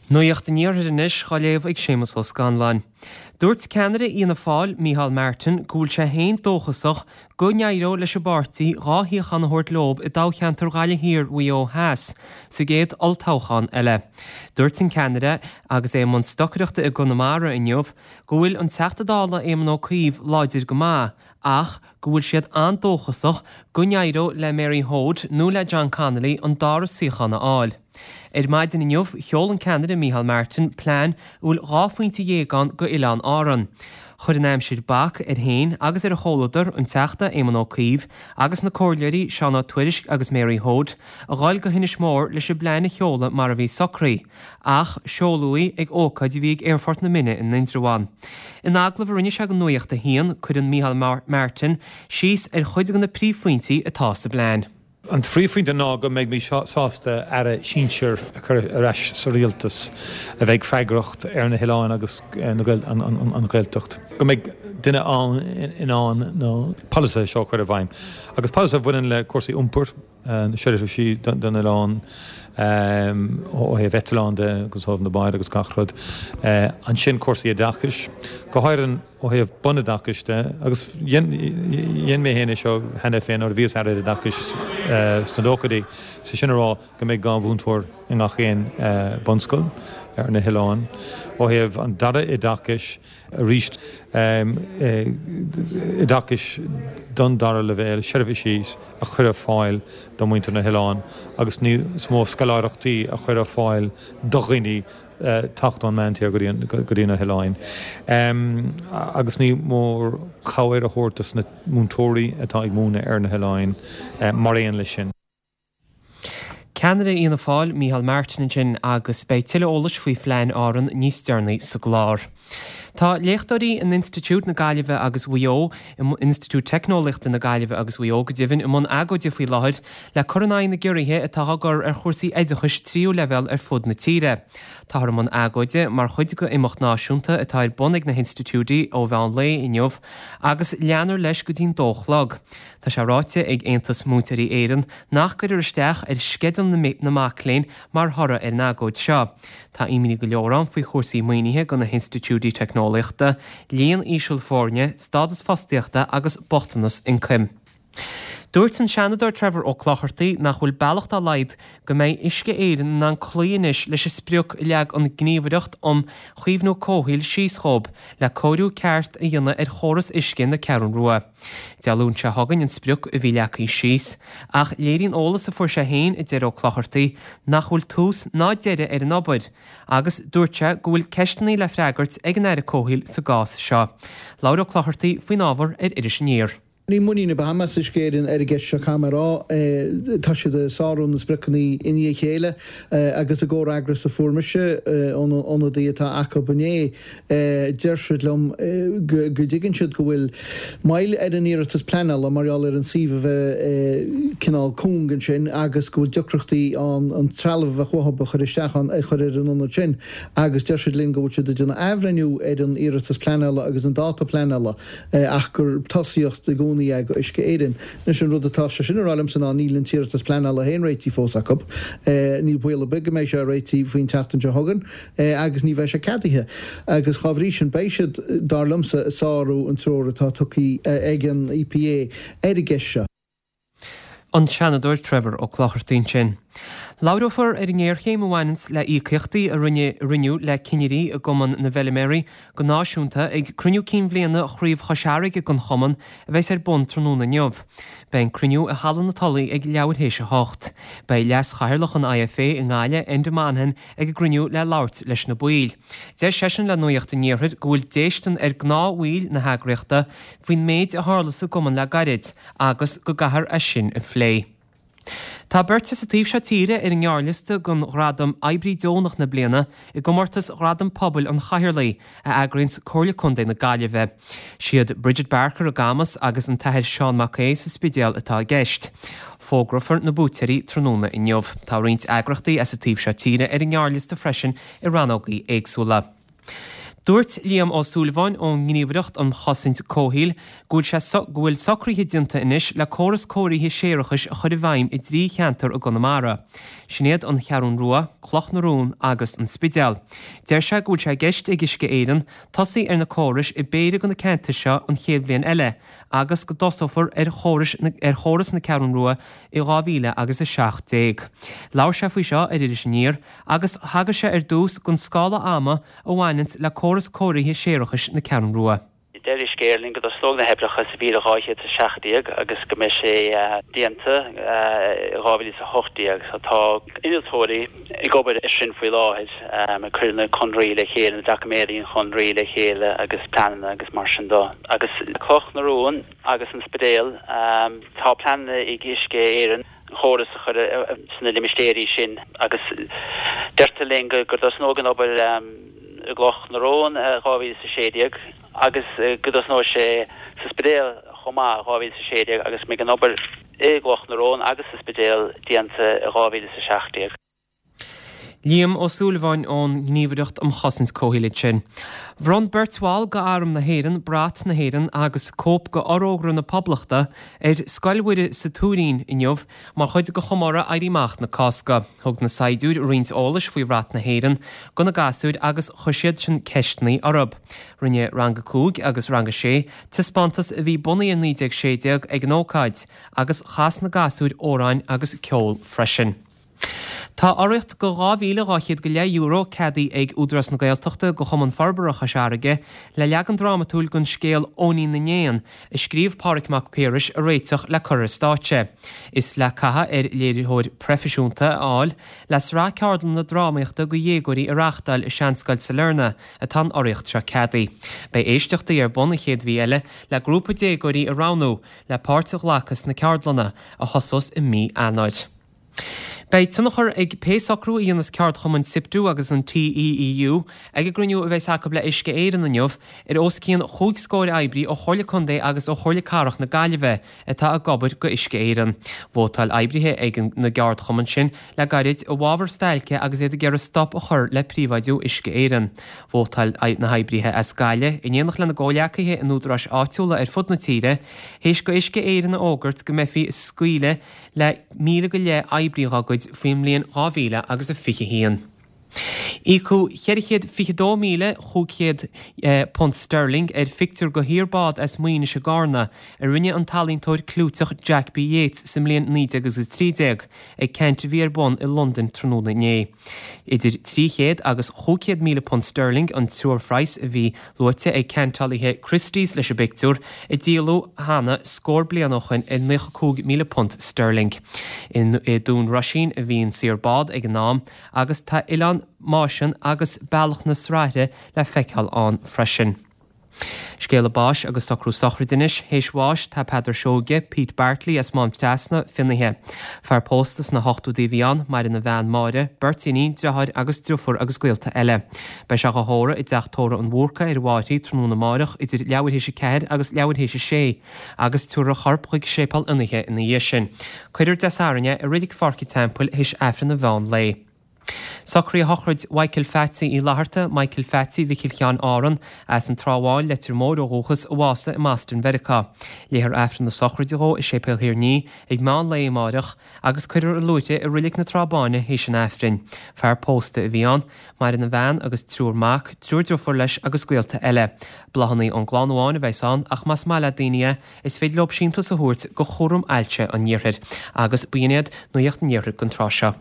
Nuacht an Iarthair anois dhá léamh ag Séamus Ó Scanláin. Dúirt ceannaire Fhianna Fáil, Micheál Martin, go bhfuil sé féin dóchasach go n-éireoidh leis an bpáirtí 2 shuíochán a thabhairt leob i dtoghcheantar Ghaillimh Thiar-Mhaigh Eo Theas sa gcéad olltoghchán eile. Dúirt an ceannaire, agus é i mbun stocaireachta i gConamara inniu, go bhfuil an Teachta Dála Éamon Ó Cuív láidir go maith ach go bhfuil siad an-dóchasach go n-éireoidh le Mary Hoade nó le John Connolly an dara suíochán a fháil. Ar maidin inniu, sheol an ceannaire Micheál Martin plean a bhfuil 12 phointe ann go Oileáin Árann. Chuir an aimsir bac air féin agus ar a chomhluadar, an Teachta Éamon Ó Cuív agus na Comhairleoirí Seán Ó Tuairisg agus Mary Hoade, a dhul go hInis Mór leis an bplean a sheoladh mar a bhí socraithe. Ach seoladh í ag ócáid a bhí ag Aerfort na Minne in Indreabhán. In agallamh a rinne sé do Nuacht a hAon, cuireann Micheál Martin síos ar chuid de na príomhphointí atá sa bplean. An phríomhphointe ná go mbeidh mé sásta Aire sinsir a chur ar ais sa Rialtas a bheidh freagrach ar na hoileáin agus an Ghaeltacht. Go mbeidh duine ann in ann na polasaithe seo a chur i bhfeidhm. Agus polasaithe a bhaineann le cúrsaí iompair, na seirbhísí don oileán ó thaobh eitleán de agus ó thaobh na báid agus gach rud. Ansin cúrsaí oideachais, go háirithe ó thaobh bunoideachais de agus dhein mé féin é seo cheana féin nuair a bhíos Aire Oideachais sna nóchaidí, sé sin a rá go mbeidh 2 mhúinteoir i ngach aon bunscoil ar na hoileáin. Ó thaobh an dara oideachais, arís oideachais don dara leibhéal, seirbhísí a chur ar fáil do mhuintir na hoileán agus níos mó scoláireachtaí a chur ar fáil do dhaoine teacht ón meántír go dtí na hoileáin. Agus ní mór cabhair a thabhairt dos na múinteoirí atá ag múineadh ar na hoileáin mar aon leis sin. Ceannaire Fhianna Fáil, Micheál Martin ansin agus beidh tuilleadh eolais faoi phlean Árann níos deireanaí sa gclár. Tá léachtóirí in Institiúid na Gaillimhe agus Mhaigh Eo, Institiúid Teicneolaíochta na Gaillimhe agus Mhaigh Eo go deimhin, i mbun agóide faoi láthair le cur in aghaidh na gciorruithe atá á gcur ar chúrsaí oideachais tríú leibhéal ar fud na tíre. Táthar i mbun agóide mar chuid de imeacht náisiúnta atá ar bun ag na hinstitiúidí ó mheán lae inniu agus leanfar leis go dtí'n dó chlog. Tá sé ráite ag Aontas Múinteoirí Éireann nach gcuirfear isteach ar sceideal na mac léinn mar thoradh ar an agóid seo. Tá imní go leor ann faoi chúrsaí maoinithe do na hinstitiúidí teicneolaíochta, líon íseal foirne, stádas fostaíochta agus bochtanas ioncaim. Dúirt an Seanadóir Trevor Ó Clochartaigh nach bhfuil bealach dá laghad go mbeidh Uisce Éireann in ann cloí anois leis an sprioc a leag an Gníomhaireacht um Chaomhnú Comhshaoil síos dhóibh le cóiriú ceart a dhéanamh ar chóras uisce na Ceathrún Rua. Dé Luain seo chugainn an sprioc a bhí leagtha síos, ach léiríonn eolas a fuair sé féin, a deir Ó Clochartaigh, nach bhfuil tús ná deireadh ar an obair, agus dúirt sé go bhfuil ceisteanna le freagairt ag an Aire Comhshaoil sa gcás seo. Labhair Ó Clochartaigh faoin ábhar ar Iris Aniar. Níl muinín ar bith agam as Uisce Éireann ar an gceist seo, caithfidh mé a rá. Tá siad ag sárú na spriocanna i ndiaidh a chéile agus i gcomhfhreagras a fuair mise ón ionadaí atá acu inné, Deir siad liom go dtuigeann siad go bhfuil moill ar an iarratas pleanála mar gheall ar an suíomh a bheith cineál cúng ansin agus go bhfuil deacrachtaí ann an trealamh a bheadh uathu a chur isteach ann a chur ar an ionad sin agus deir siad linn go bhfuil siad ag déanamh athbhreithniú ar an iarratas pleanála agus an dáta pleanála ach gur tosaíocht i gcónaí é do Uisce Éireann. Anois an rud atá sé sin a rá liomsa ná níl an t-iarratas pleanála féin réitithe fós acu. Níl baol ar bith go mbeidh sé réitithe faoin tseachtain seo chugainn. agus ní bheidh sé ceadaithe agus dhá bhrí sin beidh siad, dar liomsa, ag sárú an treoir atá tugtha ag an EPA ar an gceist seo. An Seanadóir Trevor Ó Clochartaigh ansin. Labhrófar ar an ngéarchéim a bhaineanns le íocaíochtaí a rinneadh le cinnirí i gCumann na bhFeilméaraí go náisiúnta ag cruinniú cinn bhliana Chraobh Chois Fharraige den chumann a bheas ar bun tráthnóna inniu. Beidh an cruinniú i Halla na Tulaí ag leathuair théis a hocht. Beidh Leas-Chathaoirleach an IFA i nGaillimh, Enda Monaghan, ag an gcruinniú le labhairt leis na baill. Deir seisean le Nuacht an Iarthair go bhfuil déistean ar gnáthbhaill na heagraíochta faoin méid a tharla sa gcumann le gairid agus go gcaithfear é sin a phlé. Tá beirt as an taobh seo tíre ar an ngearrliosta don ghradam Oibrí Deonach na Bliana i gcomórtas Ghradam Pobail an Chathaoirligh a eagraíonns Comhairle Contae na Gaillimhe. Siad Bridget Barker i gCamas agus an tAthair Seán Mac Aodha sa Spidéal atá i gceist. Fógrófar na buaiteoirí tráthnóna inniu. Tá roinnt eagraíochtaí as an taobh seo tíre ar an ngearrliosta freisin i rannógaí éagsúla. Dúirt Liam Ó Súilleabháin ón nGníomhaireacht um Chosaint Comhshaoil go bhfuil sé go bhfuil socruithe déanta anois le córas cóirithe séarachais a chur i bhfeidhm i dtrí cheantar i gConamara. Sin iad An Cheathrún Rua, Cloch na Rón agus An Spidéal. Deir sé go bhfuil sé i gceist ag Uisce Éireann tosaí ar na córais i bpéire de na ceantair seo an chéad bhliain eile agus go dtosófar ar chórais ar chóras na Ceathrún Rua i 2000 agus 17. Labhair sé faoi seo ar Iris Aniar agus thagair sé ar dtús don scála ama a bhaineanns le córas cóirithe séarachais na Ceathrún Rua. Deir Uisce Éireann linn go dtosnóidh na hoibreacha sa 2217 agus go mbeidh sé déanta i 2018. So tá innealtóirí ag obair ar sin faoi láthair, ag cur na conraí le chéile, na doiciméadaí an chonraí le chéile agus pleananna agus mar sin de. Agus Cloch na Rón agus an Spidéal, tá pleananna ag Uisce Éireann, an chóras a chur sna limistéirí sin agus deirtear linn go dtosnóidh an obair i gCloch na Rón i 2016 agus go dtosnóidh sé sa Spidéal chomh maith i 2016 agus go mbeidh an obair i gCloch na Rón agus sa Spidéal déanta i 2017. Liam Ó Súilleabháin ón nGníomhaireacht um Chosaint Comhshaoil ansin. Bhronn beirt bhall d'Arm na hÉireann brat na hÉireann agus cóip de Fhorógra na Poblachta ar Scoil Mhuire sa Tuairín inniu mar chuid de chomóradh Éirí Amach na Cásca. Thug na saighdiúir roinnt eolais faoi bhrat na hÉireann do na gasúir agus chuir siadsan ceisteanna orthu. Rinne Rang 5 agus Rang 6 taispeántas a bhí bunaithe ar 1916 ag an ócáid agus chas na gasúir amhráin agus ceol freisin. Tá urraíocht de €2,200 go leith euro ceadaithe ag Údarás na Gaeltachta do Chumann Forbartha Chois Fharraige le leagan drámatúil den scéal Eoinín na nÉan a scríobh Pádraig Mac Piarais a réiteach le cur ar stáitse. Is le caitheamh ar léiritheoir proifisiúnta a fháil le sraith ceardlanna drámaíochta do dhéagóirí a reáchtáil i Seanscoil Sailearna atá an urraíocht seo ceadaithe. Beidh éisteachtaí ar bun an chéad mhí eile le grúpa déagóirí a roghnú le páirt a ghlacadh sna ceardlanna, a thosós i mí Eanáir. Beidh tionchar ag pé socrú a dhéanfas ceardchumainn Siptu agus an TEEU ag an gcruinniú a bheas acu le Uisce Éireann inniu ar os cionn chúig scóir oibrí ó Chomhairle Contae agus ó Chomhairle Cathrach na Gaillimhe atá ag obair do Uisce Éireann. Vótáil oibrithe ag na gceardchumann sin le gairid i bhfabhar stailce agus iad ag iarraidh stop a chur le príobháidiú Uisce Éireann. Vótáil na hoibrithe as Gaillimh, in éineacht lena gcomhghleacaithe in údaráis áitiúla ar fud na tíre, théis do Uisce Éireann a fhógairt go mbeifí ag scaoileadh le 1,000 go leith oibrí dhá gcuid faoin mbliain 2021. Íocadh £422,500 sterling ar phictiúr de shaor bád as Maínis i gCarna a rinne an t-ealaíontóir clúiteach Jack B Yeats sa mbliain 1913 ag ceant a bhí ar bun i Londain tráthnóna inné. Idir 300 agus 500,000 punt sterling an treoirphraghas a bhí luaite ag ceantálaithe Christie's leis an bpictiúr, a díoladh cheana scór bliain ó shoin ar £95,000 sterling. I Dún Roisín a bhí an saor bád ag an am agus tá Oileán Máisean agus Bealach na Sraithre le feiceáil ann freisin. Scéala báis agus socrú sochraide anois. Théis bháis tá Peadar Seoige, Pete Bartley as Mám Trasna, fionnaithe. Fear pósta sna hochtóidí a bhí ann, maireann a bhean Máire, beirt iníon, driotháir agus driofúr agus gaolta eile. Beidh sé dhá thórramh i dTeach Tórraimh an Bhúrcaigh ar an bhFairche tráthnóna amáireach idir leathuair théis a ceathair agus leathuair théis a sé agus tabharfar a chorp chuig Séipéal Fhionnaithe ina dhiaidh sin. Cuirfear Dé Sathairn é i Reilig Pháirc an Teampaill théis Aifreann an mheán lae. Socruithe shochraid Mhichael Pheatsaí Uí Fhlatharta, Michael Pheatsaí Mhicil Sheáin Árann, as an Trá Bháin, Leitir Móir ó dhúchas, a bhásaigh i mBoston Mheiriceá. Léifear Aifreann na sochraide dhó i Séipéal Thír an Fhia ag meán lae amáireach agus cuirfear i luaithrigh i Reilig na Trá Báine théis an Aifrinn. Fear pósta a bhí ann. Maireann a bhean agus triúr mac, triúr driofúr leis agus gaolta eile. Bláthanna ón gclann amháin a bheas ann ach más maith le daoine é, is féidir leo síntiús a thabhairt go Chúram Ailse an Iarthair. Agus b'in iad Nuacht an Iarthair don tráth seo.